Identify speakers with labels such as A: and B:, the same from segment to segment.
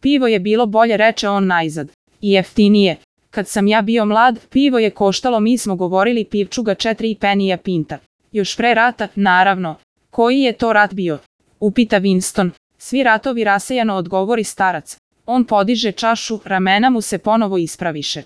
A: Pivo je bilo bolje, reče on najzad. I jeftinije. Kad sam ja bio mlad, pivo je koštalo, mi smo govorili, pivčuga 4 penija pinta. Još pre rata, naravno. Koji je to rat bio? Upita Winston. Svi ratovi, rasejano odgovori starac. On podiže čašu, ramena mu se ponovo ispraviše.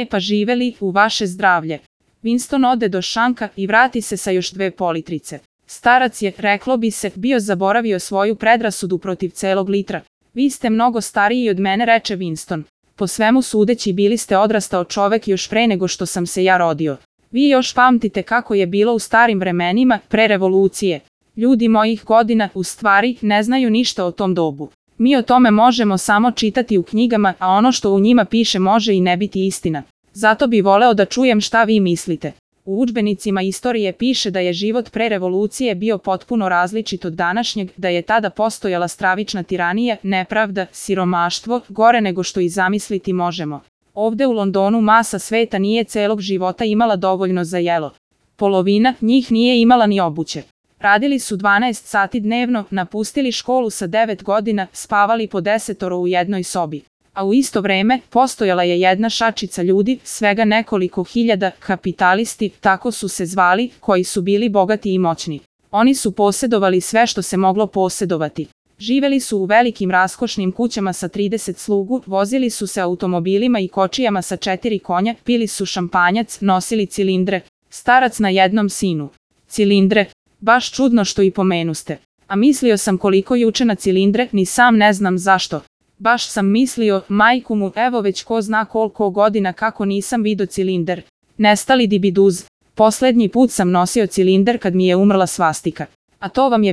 A: Pa živeli, u vaše zdravlje. Winston ode do šanka i vrati se sa još 2 politrice. Starac je, reklo bi se, bio zaboravio svoju predrasudu protiv celog litra. Vi ste mnogo stariji od mene, reče Winston. Po svemu sudeći bili ste odrastao čovek još pre nego što sam se ja rodio. Vi još pamtite kako je bilo u starim vremenima, pre revolucije. Ljudi mojih godina, u stvari, ne znaju ništa o tom dobu. Mi o tome možemo samo čitati u knjigama, a ono što u njima piše može i ne biti istina. Zato bi voleo da čujem šta vi mislite. U udžbenicima istorije piše da je život pre revolucije bio potpuno različit od današnjeg, da je tada postojala stravična tiranija, nepravda, siromaštvo, gore nego što i zamisliti možemo. Ovde u Londonu masa sveta nije celog života imala dovoljno za jelo. Polovina njih nije imala ni obuće. Radili su 12 sati dnevno, napustili školu sa 9 godina, spavali po 10 u jednoj sobi. A u isto vreme, postojala je jedna šačica ljudi, svega nekoliko hiljada, kapitalisti, tako su se zvali, koji su bili bogati i moćni. Oni su posedovali sve što se moglo posedovati. Živeli su u velikim raskošnim kućama sa 30 slugu, vozili su se automobilima i kočijama sa 4 konja, pili su šampanjac, nosili cilindre. Starac na jednom sinu. Cilindre. Baš čudno što i pomenuste. A mislio sam koliko juče na cilindre, ni sam ne znam zašto. Baš sam mislio, majku mu, evo već ko zna koliko godina kako nisam vidio cilinder. Nestali dibiduz. Poslednji put sam nosio cilinder kad mi je umrla svastika. A to vam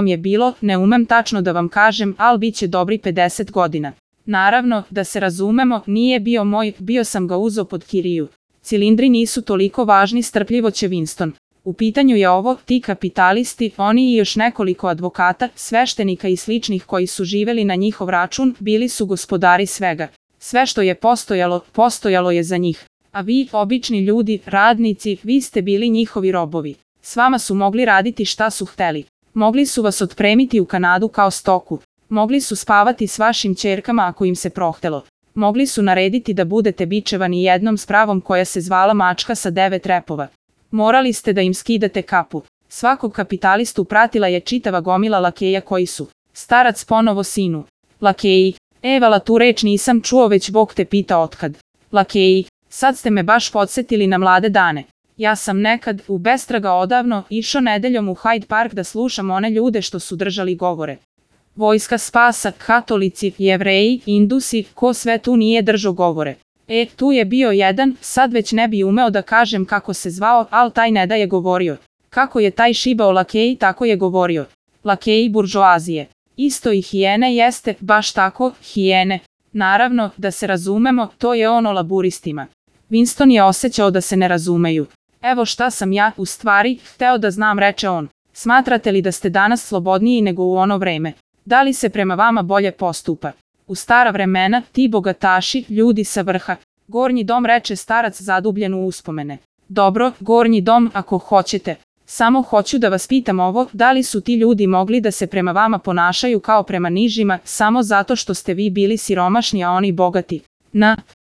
A: je bilo, ne umem tačno da vam kažem, ali bit će dobri 50 godina. Naravno, da se razumemo, nije bio moj, bio sam ga uzeo pod kiriju. Cilindri nisu toliko važni, strpljivo će Winston. U pitanju je ovo, ti kapitalisti, oni i još nekoliko advokata, sveštenika i sličnih koji su živeli na njihov račun, bili su gospodari svega. Sve što je postojalo, postojalo je za njih. A vi, obični ljudi, radnici, vi ste bili njihovi robovi. S vama su mogli raditi šta su hteli. Mogli su vas otpremiti u Kanadu kao stoku. Mogli su spavati s vašim ćerkama ako im se prohtelo. Mogli su narediti da budete bičevani jednom spravom koja se zvala mačka sa 9 repova. Morali ste da im skidate kapu. Svakog kapitalistu pratila je čitava gomila lakeja koji su. Starac ponovo sinu. Lakeji. Evala, tu reč nisam čuo, već Bog te pita otkad. Lakeji. Sad ste me baš podsjetili na mlade dane. Ja sam nekad, u bestraga odavno, išao nedeljom u Hyde Park da slušam one ljude što su držali govore. Vojska spasa, katolici, jevreji, indusi, ko sve tu nije držao govore. Tu je bio jedan, sad već ne bi umeo da kažem kako se zvao, al taj ne da je govorio. Kako je taj šibao lakeji, tako je govorio. Lakeji buržoazije. Isto i hijene jeste, baš tako, hijene. Naravno, da se razumemo, to je ono laburistima. Winston je osjećao da se ne razumeju. Evo šta sam ja, u stvari, hteo da znam, reče on. Smatrate li da ste danas slobodniji nego u ono vreme? Da li se prema vama bolje postupa? U stara vremena, ti bogataši, ljudi sa vrha. Gornji dom, reče starac zadubljen u uspomene. Dobro, gornji dom, ako hoćete. Samo hoću da vas pitam ovo, da li su ti ljudi mogli da se prema vama ponašaju kao prema nižima, samo zato što ste vi bili siromašni a oni bogati?